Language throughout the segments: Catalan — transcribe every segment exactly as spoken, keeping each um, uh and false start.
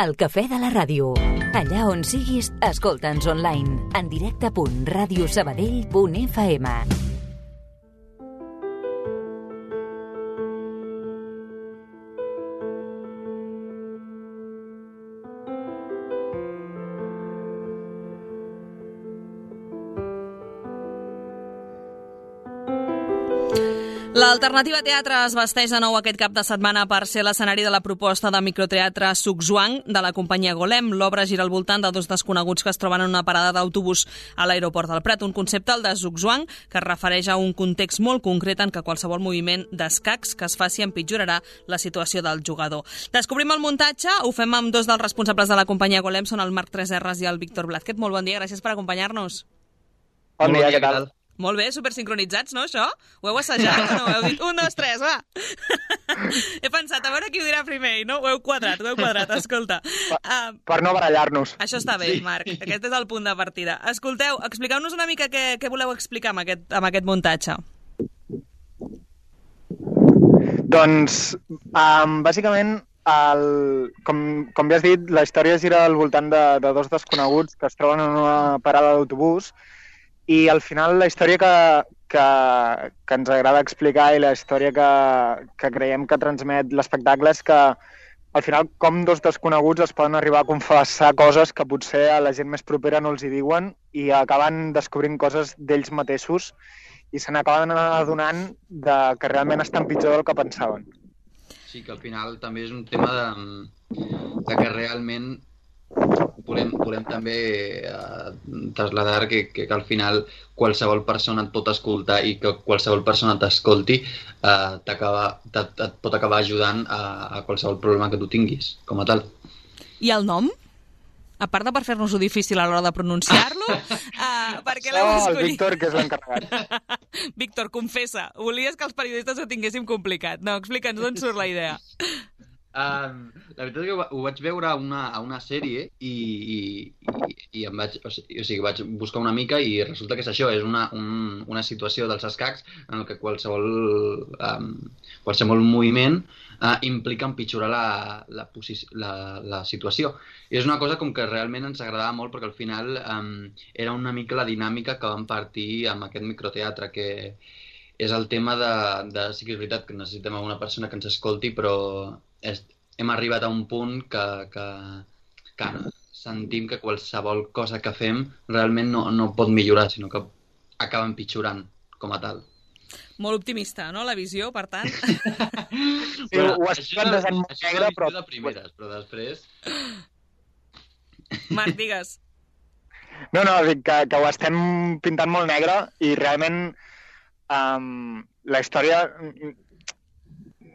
El cafè de la ràdio. Allà on siguis, escolta'ns online. En directe punt ràdio sabadell punt f m. L'Alternativa Teatre es vesteix de nou aquest cap de setmana per ser l'escenari de la proposta de microteatre Sugzwang de la companyia Golem. L'obra gira al voltant de dos desconeguts que es troben en una parada d'autobús a l'aeroport del Prat. Un concepte, el de Sugzwang, que es refereix a un context molt concret en què qualsevol moviment d'escacs que es faci empitjorarà la situació del jugador. Descobrim el muntatge, ho fem amb dos dels responsables de la companyia Golem, són el Marc tres erres i el Víctor Blázquez. Molt bon dia, gràcies per acompanyar-nos. Bon dia, què tal? Molt bé, supersincronitzats, no, això? Ho heu assajat, no? Ho heu dit, un, dos, tres, va! He pensat, a veure qui ho dirà primer, i no? Ho heu quadrat, ho heu quadrat, escolta. Per, uh, per no barallar-nos. Això està bé, sí. Marc, aquest és el punt de partida. Escolteu, expliqueu-nos una mica què, què voleu explicar amb aquest, amb aquest muntatge. Doncs, um, bàsicament, el, com, com ja has dit, la història gira al voltant de, de dos desconeguts que es troben en una parada d'autobús. I al final la història que, que, que ens agrada explicar i la història que, que creiem que transmet l'espectacle és que al final com dos desconeguts es poden arribar a confessar coses que potser a la gent més propera no els hi diuen i acaben descobrint coses d'ells mateixos i se n'acaben adonant de que realment estan pitjor del que pensaven. Sí, que al final també és un tema de, de que realment volem, volem també eh, traslladar que, que, que al final qualsevol persona et pot escoltar i que qualsevol persona t'escolti eh, et pot acabar ajudant a, a qualsevol problema que tu tinguis, com a tal. I el nom? A part de per fer-nos-ho difícil a l'hora de pronunciar-lo, uh, per què l'heu escollit? Oh, el Víctor, que és l'encarregat. Víctor, confessa, volies que els periodistes ho tinguéssim complicat. No, explica'ns d'on surt la idea. Um, la veritat és que ho vaig veure a una, a una sèrie i, i, i, i em vaig, o sigui, o sigui, vaig buscar una mica i resulta que és això, és una, un, una situació dels escacs en què qualsevol, um, qualsevol moviment uh, implica empitjorar la, la, la, la situació. I és una cosa com que realment ens agradava molt perquè al final um, era una mica la dinàmica que vam partir amb aquest microteatre, que és el tema de, de sí que és veritat que necessitem una persona que ens escolti, però és, hem arribat a un punt que, que, que sentim que qualsevol cosa que fem realment no, no pot millorar, sinó que acaba empitjorant com a tal. Molt optimista, no?, la visió, per tant. Sí, bueno, ho has plantejat molt negre, però... de primeres, però després... Marc, digues. No, no, dic que, que ho estem pintant molt negre i realment um, la història...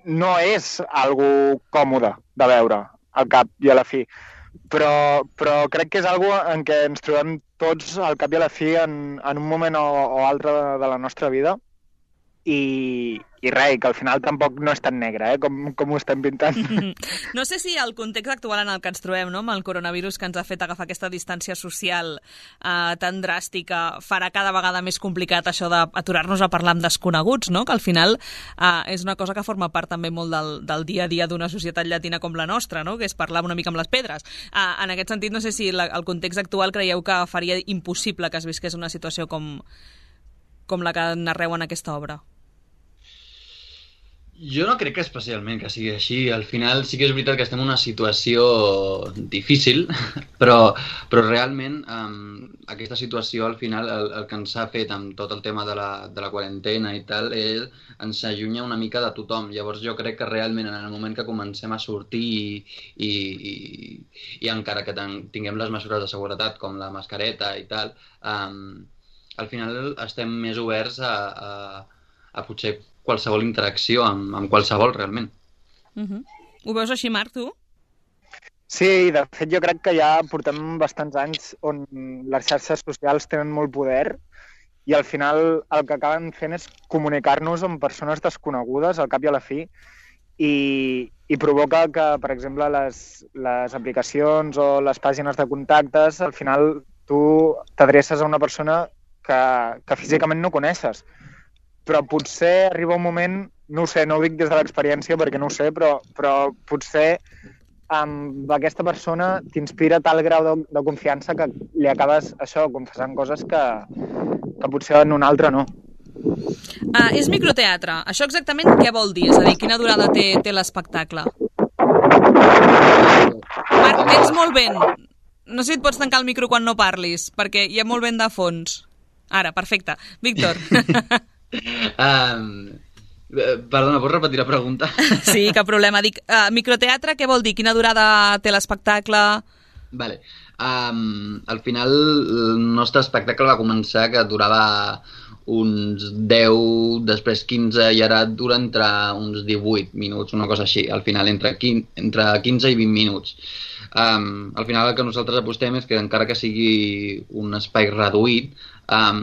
no és algo còmode de veure al cap i a la fi, però, però crec que és algo en què ens trobem tots al cap i a la fi en, en un moment o, o altre de, de la nostra vida i, i res, que al final tampoc no és tan negre, eh, com, com ho estem pintant. No sé si el context actual en el que ens trobem, no?, amb el coronavirus que ens ha fet agafar aquesta distància social eh, tan dràstica, farà cada vegada més complicat això d'aturar-nos a parlar amb desconeguts, no?, que al final eh, és una cosa que forma part també molt del, del dia a dia d'una societat llatina com la nostra, no?, que és parlar una mica amb les pedres. Eh, en aquest sentit, no sé si la, el context actual creieu que faria impossible que es visqués una situació com, com la que narreu en aquesta obra. Jo no crec que especialment que sigui així. Al final sí que és veritat que estem en una situació difícil, però, però realment um, aquesta situació al final el, el que ens ha fet amb tot el tema de la, de la quarantena i tal és, ens allunya una mica de tothom. Llavors jo crec que realment en el moment que comencem a sortir i, i, i, i encara que ten, tinguem les mesures de seguretat com la mascareta i tal, um, al final estem més oberts a, a, a potser qualsevol interacció amb, amb qualsevol, realment. Uh-huh. Ho veus així, Marc, tu? Sí, de fet jo crec que ja portem bastants anys on les xarxes socials tenen molt poder i al final el que acaben fent és comunicar-nos amb persones desconegudes al cap i a la fi i, i provoca que, per exemple, les, les aplicacions o les pàgines de contactes, al final tu t'adreces a una persona que, que físicament no coneixes. Però potser arriba un moment, no ho sé, no ho dic des de l'experiència perquè no ho sé, però, però potser amb aquesta persona t'inspira tal grau de, de confiança que li acabes, això, confessant coses que, que potser en un altre no. Ah, és microteatre. Això exactament què vol dir? És a dir, quina durada té, té l'espectacle? Marc, tens molt vent. No sé si et pots tancar el micro quan no parlis, perquè hi ha molt vent de fons. Ara, perfecte. Víctor. um, perdona, pots repetir la pregunta? Sí, cap problema. Dic, uh, microteatre què vol dir? Quina durada té l'espectacle? Vale. Um, al final el nostre espectacle va començar que durava uns deu, després quinze i ara dura entre uns divuit minuts, una cosa així, al final entre quinze, entre quinze i vint minuts. Um, al final el que nosaltres apostem és que encara que sigui un espai reduït, um,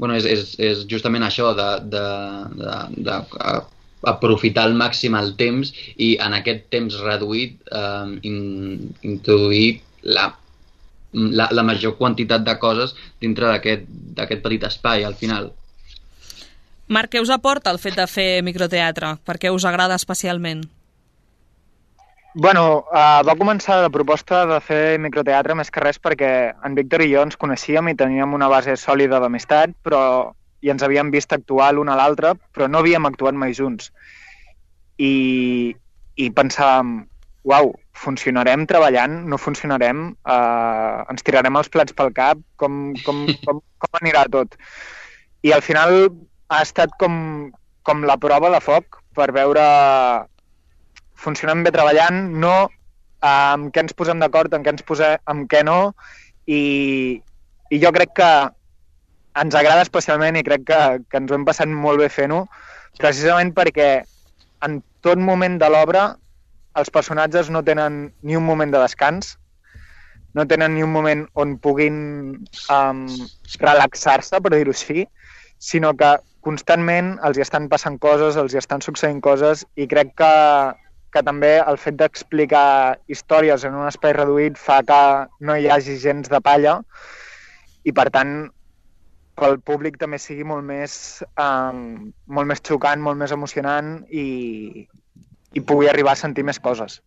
bueno, és, és, és justament això de, de, de, de, de aprofitar al màxim el temps i en aquest temps reduït um, in, introduir la La, la major quantitat de coses dintre d'aquest petit espai, al final. Marc, què us aporta el fet de fer microteatre? Per què us agrada especialment? Bueno, uh, va començar la proposta de fer microteatre més que res perquè en Víctor i jo ens coneixíem i teníem una base sòlida d'amistat, però i ens havíem vist actuar l'un a l'altre, però no havíem actuat mai junts. I, i pensàvem, uau, funcionarem treballant, no funcionarem, eh, ens tirarem els plats pel cap, com, com, com, com anirà tot. I al final ha estat com, com la prova de foc per veure funcionem bé treballant, no, eh, amb què ens posem d'acord, amb què ens posem, amb què no, i, i jo crec que ens agrada especialment i crec que, que ens ho hem passat molt bé fent-ho, precisament perquè en tot moment de l'obra els personatges no tenen ni un moment de descans, no tenen ni un moment on puguin um, relaxar-se, per dir-ho així, sinó que constantment els hi estan passant coses, els hi estan succeint coses, i crec que, que també el fet d'explicar històries en un espai reduït fa que no hi hagi gens de palla, i per tant pel públic també sigui molt més, um, molt més xocant, molt més emocionant i... i pugui arribar a sentir més coses.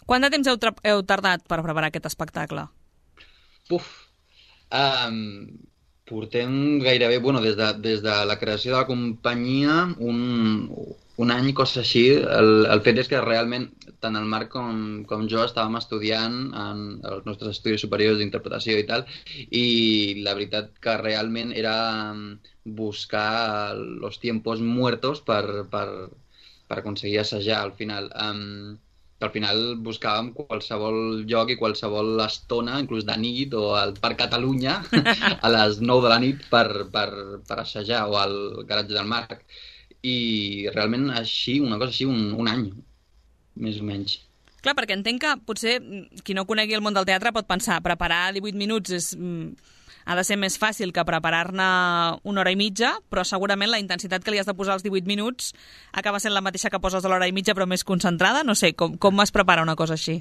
Quant de temps heu, heu tardat per preparar aquest espectacle? Uf, um, portem gairebé, bueno, des de, des de la creació de la companyia, un, un any, cosa així. El, el fet és que realment tant el Marc com, com jo estàvem estudiant en els nostres estudis superiors d'interpretació i tal, i la veritat que realment era buscar los tiempos muertos per... per per aconseguir assajar al final. Um, al final buscàvem qualsevol lloc i qualsevol estona, inclús de nit o al Parc Catalunya, a les nou de la nit per, per, per assajar, o al garatge del Marc. I realment així, una cosa així, un, un any, més o menys. Clar, perquè entenc que potser qui no conegui el món del teatre pot pensar preparar divuit minuts és... ha de ser més fàcil que preparar-ne una hora i mitja, però segurament la intensitat que li has de posar als divuit minuts acaba sent la mateixa que poses a l'hora i mitja, però més concentrada. No sé, com, com es prepara una cosa així?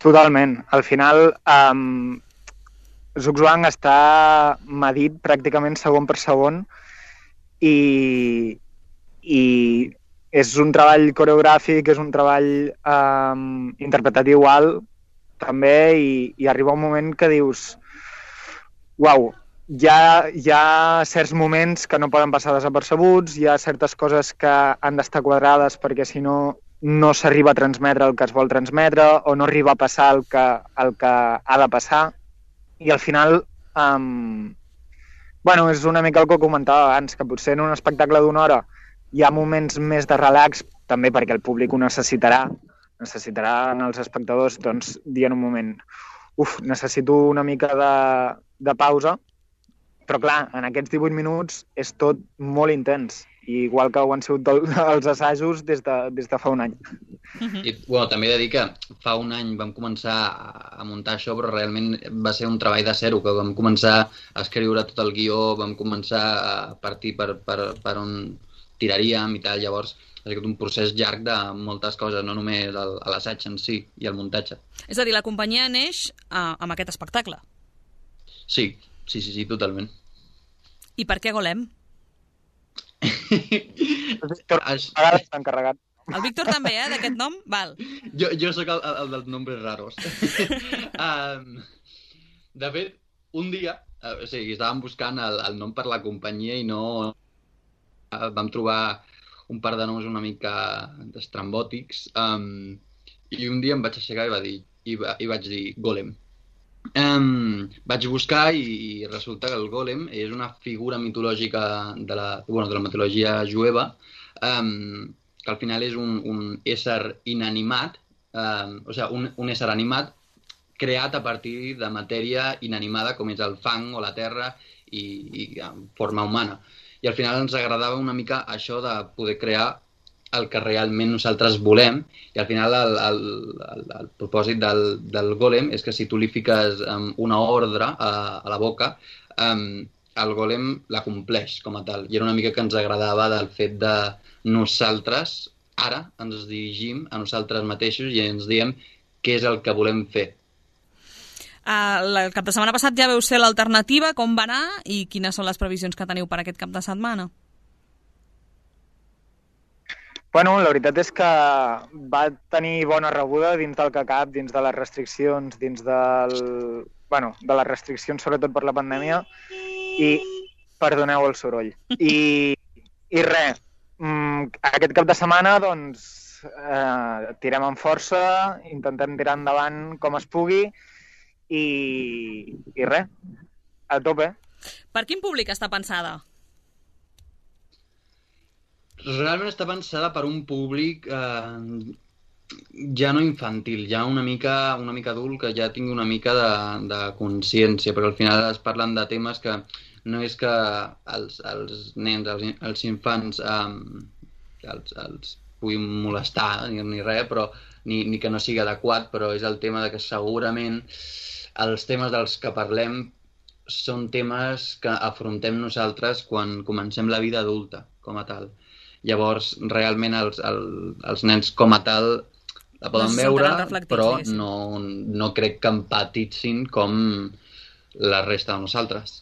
Totalment. Al final, um, Zugzwang està medit pràcticament segon per segon i, i és un treball coreogràfic, és un treball um, interpretatiu alt també, i, i arriba un moment que dius uau, hi ha, hi ha certs moments que no poden passar desapercebuts, hi ha certes coses que han d'estar quadrades perquè si no, no s'arriba a transmetre el que es vol transmetre o no arriba a passar el que, el que ha de passar. I al final, um, bueno, és una mica el que comentava abans, que potser en un espectacle d'una hora hi ha moments més de relax, també perquè el públic ho necessitarà, necessitarà en els espectadors, doncs, dir en un moment uf, necessito una mica de, de pausa, però clar, en aquests divuit minuts és tot molt intens, i igual que ho han sigut els assajos des de, des de fa un any. I, bueno, també he de dir que fa un any vam començar a muntar això, però realment va ser un treball de zero, que vam començar a escriure tot el guió, vam començar a partir per, per, per on tiraríem i tal, llavors ha sigut un procés llarg de moltes coses, no només l'assaig en si i el muntatge. És a dir, la companyia neix uh, amb aquest espectacle. Sí, sí, sí, sí, totalment. I per què Golem? A vegades s'ha encarregat. El Víctor també, eh, d'aquest nom? Val. Jo, jo sóc el, el dels nombres raros. um, de fet, un dia, uh, o sigui, estàvem buscant el, el nom per la companyia i no... Uh, vam trobar un par de noms una mica estrambòtics um, i un dia em vaig aixecar i, va dir, i, va, i vaig dir Golem. Um, vaig buscar i, i resulta que el Golem és una figura mitològica de la, bueno, de la mitologia jueva, um, que al final és un, un ésser inanimat, um, o sigui, un, un ésser animat creat a partir de matèria inanimada com és el fang o la terra i, i en forma humana. I al final ens agradava una mica això de poder crear el que realment nosaltres volem, i al final el, el, el, el propòsit del, del Golem és que si tu li fiques um, una ordre a, a la boca, um, el Golem la compleix com a tal. I era una mica que ens agradava del fet de nosaltres, ara ens dirigim a nosaltres mateixos i ens diem què és el que volem fer. Uh, el cap de setmana passat ja veu ser l'alternativa, com va anar i quines són les previsions que teniu per aquest cap de setmana? Bueno, la veritat és que va tenir bona rebuda dins del que cap, dins de les restriccions, dins del... bueno, de les restriccions sobretot per la pandèmia i perdoneu el soroll. I, i res, aquest cap de setmana doncs eh, tirem amb força, intentem tirar endavant com es pugui i, i res, a tope. Per quin públic està pensada? Realment està pensada per un públic eh, ja no infantil, ja una mica, una mica adult, que ja tingui una mica de, de consciència, perquè al final es parlen de temes que no és que els, els nens, els, els infants eh, els, els puguin molestar ni, ni res, però ni, ni que no sigui adequat, però és el tema de que segurament els temes dels que parlem són temes que afrontem nosaltres quan comencem la vida adulta, com a tal. Llavors, realment, els, els, els nens com a tal la poden no veure, però no, no crec que empatitzin com la resta de nosaltres.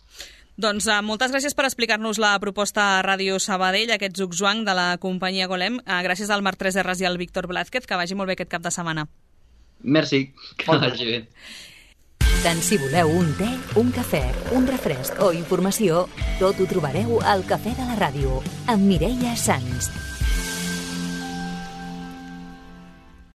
Doncs uh, moltes gràcies per explicar-nos la proposta a Ràdio Sabadell, aquest Zugzwang de la companyia Golem. Uh, gràcies al Marc Tres Erres i al Víctor Blázquez, que vagi molt bé aquest cap de setmana. Merci, que vagi bé. Tant si voleu un te, un cafè, un refresc o informació, tot ho trobareu al Cafè de la Ràdio, amb Mireia Sans.